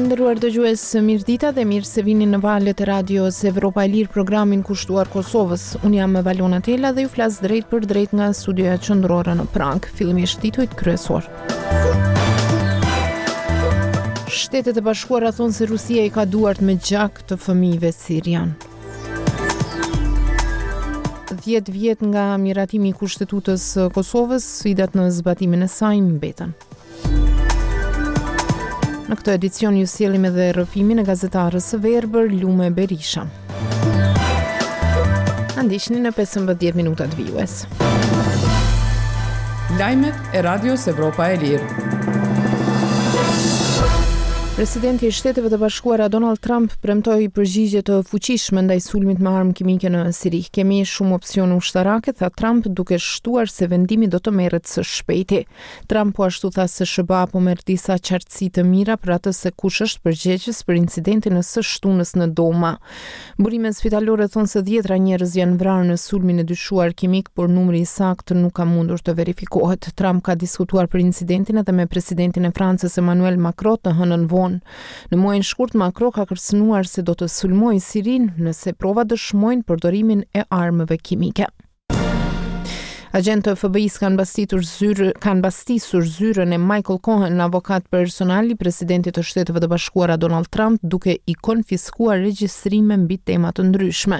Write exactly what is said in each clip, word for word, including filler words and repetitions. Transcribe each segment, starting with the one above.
Të nderuar dëgjues, mirëdita dhe mirë se vini në valët e radios Evropa e Lirë, programin kushtuar Kosovës. Unë jam Valona Tela dhe ju flas drejt për drejt nga studioja qendrore në Prag. Fillimisht titujt kryesor. Shtetet e Bashkuara thonë se Rusia i ka duart me gjak të fëmijëve sirian. dhjetë vjet nga miratimi i Kushtetutës së Kosovës, sfidat në zbatimin e saj mbeten. Në këtë edicion ju sjellim edhe rrëfimin e gazetarës së verbër Lume Berisha. Na ndiqni në pesëmbëdhjetë minutat vijues. Lajmet e Radios Evropa e Lirë. Presidenti i Shteteve të Bashkuara Donald Trump premtoi përgjigje të fuqishme ndaj sulmit me armë kimike në Siri. Kemi shumë opsione ushtarake, tha Trump, duke shtuar se vendimi do të merret së shpejti. Trump po ashtu tha se S H B A po merr disa qartësi të mira për atë se kush është përgjegjës për incidentin e së shtunës në Doma. Burimet spitalore thonë se dhjetra njerëz janë vrarë në sulmin e dyshuar kimik, por numri i saktë nuk ka mundur të verifikohet. Trump ka diskutuar për incidentin edhe me presidentin e Francës Emmanuel Macron të hënën vonë. Në muajin shkurt, Macron ka kërcënuar se do të sulmojë Sirinë nëse provat dëshmojnë përdorimin e armëve kimike. Agentë të F B I-s kanë bastitur zyrë, kanë bastisur zyrën e Michael Cohen, avokat personal i presidentit të Shteteve të Bashkuara Donald Trump, duke i konfiskuar regjistrime mbi tema të ndryshme.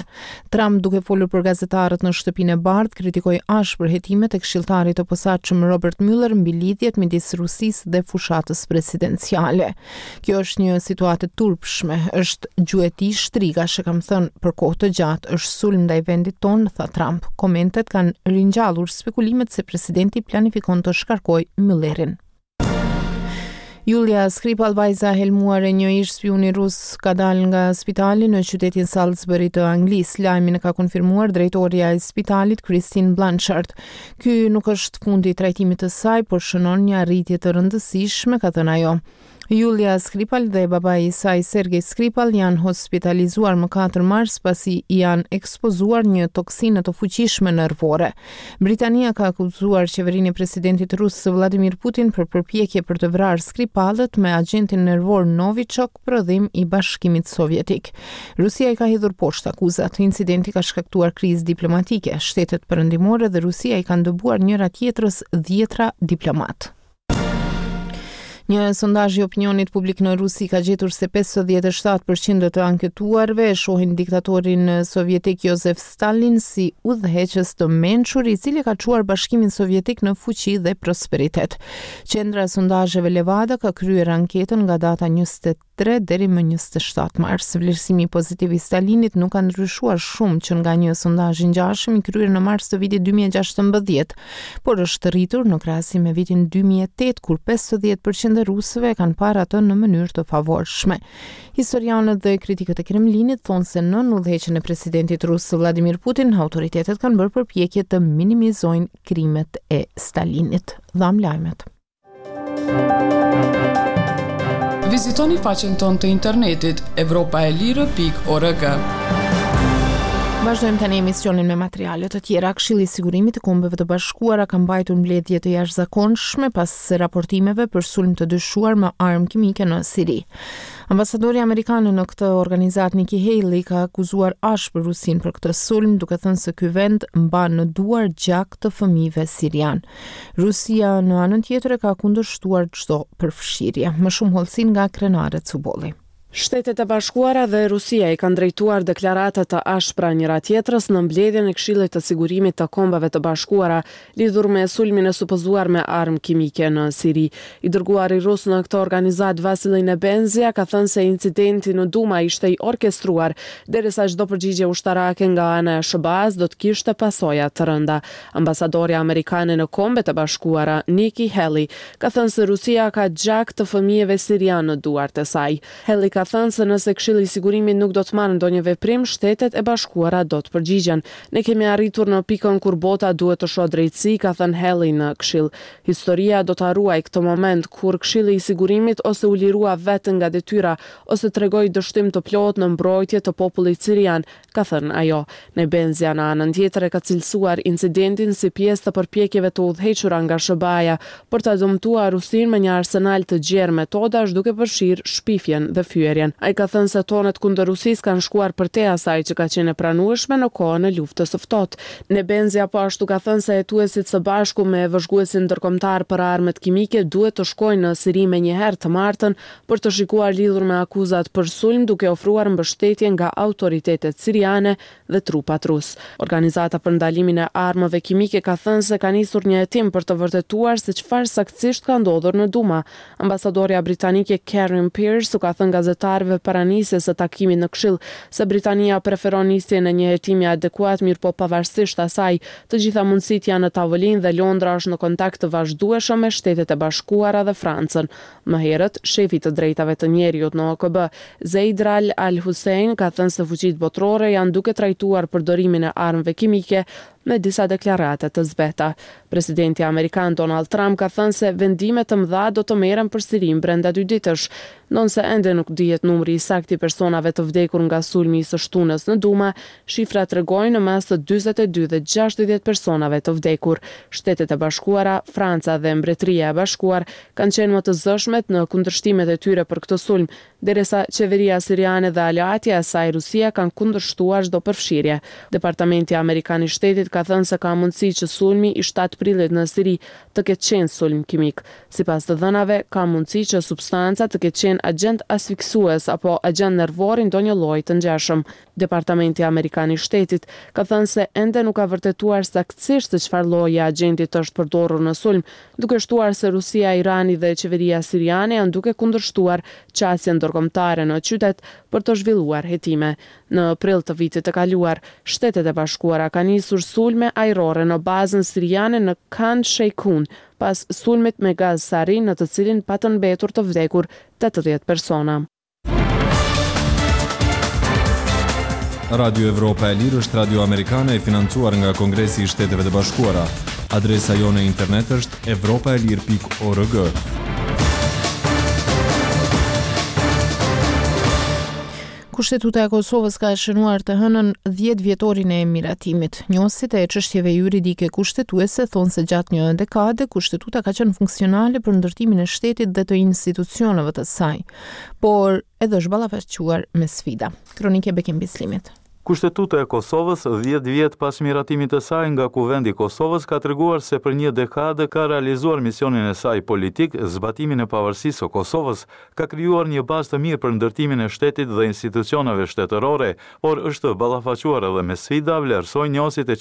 Trump, duke folur për gazetarët në Shtëpinë e Bardhë, kritikoi ashpër hetimet e këshilltarit të posaçëm Robert Mueller mbi lidhjet midis Rusisë dhe fushatës presidenciale. Kjo është një situatë e turpshme, është gjueti shtrigash, e kam thënë për kohë të gjatë, është sulm ndaj vendit tonë, tha Trump. Komentet kanë ringjallur spekulimet se presidenti planifikon të shkarkojë Muellerin. Julia Skripal, vajza e helmuar e një ish spiuni rus, ka dalë nga spitali në qytetin Salisbury të Anglisë. Lajmin e ka konfirmuar drejtoria e spitalit Christine Blanchard. Ky nuk është fundi i trajtimit të saj, por shënon një arritje të rëndësishme, ka thënë ajo. Julia Skripal dhe babai i saj Sergej Skripal janë hospitalizuar më katër mars pasi i janë ekspozuar një toksine të fuqishme nervore. Britania ka akuzuar qeverinë e presidentit rus Vladimir Putin për përpjekje për të vrarë Skripalët me agjentin nervor Novichok, prodhim i Bashkimit Sovjetik. Rusia i ka hedhur poshtë akuzat. Incidenti ka shkaktuar krizë diplomatike. Shtetet perëndimore dhe Rusia i kanë dëbuar njëra tjetrës dhjetra diplomat. Një sondazh i opinionit publik në Rusi ka gjetur se pesëdhjetë e shtatë përqind të anketuarve e shohin diktatorin sovjetik Josef Stalin si udhëheqës të mençur, i cili ka çuar Bashkimin Sovjetik në fuqi dhe prosperitet. Qendra e sondazheve Levada ka kryer anketën nga data njëzet e tre deri më njëzet e shtatë mars. Vlerësimi pozitiv i Stalinit nuk ka ndryshuar shumë që nga një sondazh i ngjashëm i kryer në mars të vitit dy mijë e gjashtëmbëdhjetë, por është rritur në krahasim me vitin dy mijë e tetë, kur pesëdhjetë përqind e rusëve e kanë parë atë në mënyrë të favorshme. Historianët dhe kritikët e Kremlinit thonë se nën udhëheqjen e presidentit rus Vladimir Putin, autoritetet kanë bërë përpjekje të minimizojnë krimet e Stalinit. Dham lajmet. Vizitoni faqen tonë të internetit evropa e lirë pikë org. Vazhdojmë tani emisionin me materiale të tjera. Këshilli i Sigurimit të Kombeve të Bashkuara ka mbajtur mbledhje të jashtëzakonshme pas raportimeve për sulm të dyshuar me armë kimike në Siri. Ambasadori amerikan në këtë organizatë Nikki Haley ka akuzuar ashpër Rusinë për këtë sulm, duke thënë se ky vend mban në duar gjak të fëmijëve sirian. Rusia në anën tjetër e ka kundërshtuar çdo përfshirje. Më shumë hollësi nga Krenare Cubolli. Shtetet e Bashkuara dhe Rusia i kanë drejtuar deklarata të ashpra njëra tjetrës në mbledhjen e Këshillit të Sigurimit të Kombeve të Bashkuara lidhur me sulmin e supozuar me armë kimike në Siri. I dërguari rus në këtë organizatë Vasilij Nebenzia ka thënë se incidenti në Duma ishte i orkestruar, derisa çdo përgjigje ushtarake nga ana e S H B A-s do të kishte pasoja të rënda. Ambasadorja amerikane në Kombet e Bashkuara, Nikki Haley, ka thënë se Rusia ka gjak të fëmijëve sirian në duart e saj. Haley ka ka thënë se nëse Këshilli i Sigurimit nuk do të marrë ndonjë veprim, Shtetet e Bashkuara do të përgjigjen. Ne kemi arritur në pikën kur bota duhet të shohë drejtësi, ka thënë Haley në Këshill. Historia do ta ruajë këtë moment kur Këshilli i Sigurimit ose u lirua vetë nga detyra ose tregoi dështim të plotë në mbrojtje të popullit sirian, ka thënë ajo. Nebenzia në anën tjetër e ka cilësuar incidentin si pjesë të përpjekjeve të udhëhequra nga S H B A-ja për ta dëmtuar Rusinë me një arsenal të gjerë metodash, duke përfshirë shpifjen dhe fyerjen. Ai ka thënë se tonet kundër Rusisë kanë shkuar përtej asaj që ka qenë e pranueshme në kohën e luftës së ftohtë. Nebenzia po ashtu ka thënë se hetuesit së bashku me vëzhguesin ndërkombëtar për armët kimike duhet të shkojnë në Siri menjëherë të martën për të shikuar lidhur me akuzat për sulm, duke ofruar mbështetje nga autoritetet siriane dhe trupat rus. Organizata për ndalimin e armëve kimike ka thënë se ka nisur një hetim për të vërtetuar se çfarë saktësisht ka ndodhur në Duma. Ambasadorja britanike Karen Pierce u ka thënë gazetarëve para nisjes së takimit në Këshill se Britania preferon nisjen e një hetimi adekuat, mirëpo pavarësisht asaj, të gjitha mundësitë janë në tavolinë dhe Londra është në kontakt të vazhdueshëm me Shtetet e Bashkuara dhe Francën. Më herët, shefi i të drejtave të njeriut në O K B, Zeid Ra'ad Al Hussein, ka thënë se fuqitë botërore janë duke trajtuar përdorimin e armëve kimike me disa deklarata të zbehta. Presidenti amerikan Donald Trump ka thënë se vendime të mëdha do të merren për Sirinë brenda dy ditësh, ndonëse ende nuk dihet numri i saktë i personave të vdekur nga sulmi i së shtunës në Duma, shifrat tregojnë në mes të dyzet e dy dhe gjashtëdhjetë personave të vdekur. Shtetet e Bashkuara, Franca dhe Mbretëria e Bashkuar kanë qenë më të zëshmet në kundërshtimet e tyre për këtë sulm, derisa qeveria siriane dhe aleatja e saj Rusia kanë kundërshtuar çdo përfshirje. Departamenti Amerikan i Shtetit ka thënë se ka mundësi që sulmi i shtatë prillit në Siri të ketë qenë sulm kimik. Sipas të dhënave, ka mundësi që substanca të ketë qenë agjent asfiksues apo agjent nervor i ndonjë lloji të ngjashëm. Departamenti Amerikan i Shtetit ka thënë se ende nuk ka vërtetuar saktësisht se çfarë lloji i agjentit është përdorur në sulm, duke shtuar se Rusia, Irani dhe qeveria siriane janë duke kundërshtuar qasjen ndërkombëtare në qytet për të zhvilluar hetime. Në prill të vitit të kaluar, Shtetet e Bashkuara kanë nisur sulme ajrore në bazën siriane në Khan Sheikhoun, pas sulmit me gaz sarin në të cilin patën mbetur të vdekur tetëdhjetë persona. Radio Evropa e Lirë është radio amerikane e financuar nga Kongresi i Shteteve të Bashkuara. Adresa jonë e internet është evropaelir pikë org. Kushtetuta e Kosovës ka shënuar të hënën dhjetë vjetorin e miratimit. Njohësit e çështjeve juridike kushtetuese thonë se gjatë një dekade kushtetuta ka qenë funksionale për ndërtimin e shtetit dhe të institucioneve të saj, por edhe është ballafaquar me sfida. Kronike Bekim Bislimit. Kushtetuta e Kosovës, dhjetë vjet pas miratimit të saj nga Kuvendi i Kosovës, ka treguar se për një dekadë ka realizuar misionin e saj politik, zbatimin e pavarësisë së Kosovës, ka krijuar një bazë të mirë për ndërtimin e shtetit dhe institucioneve shtetërore, por është ballafaquar edhe me sfida, vlerësojnë njohësit e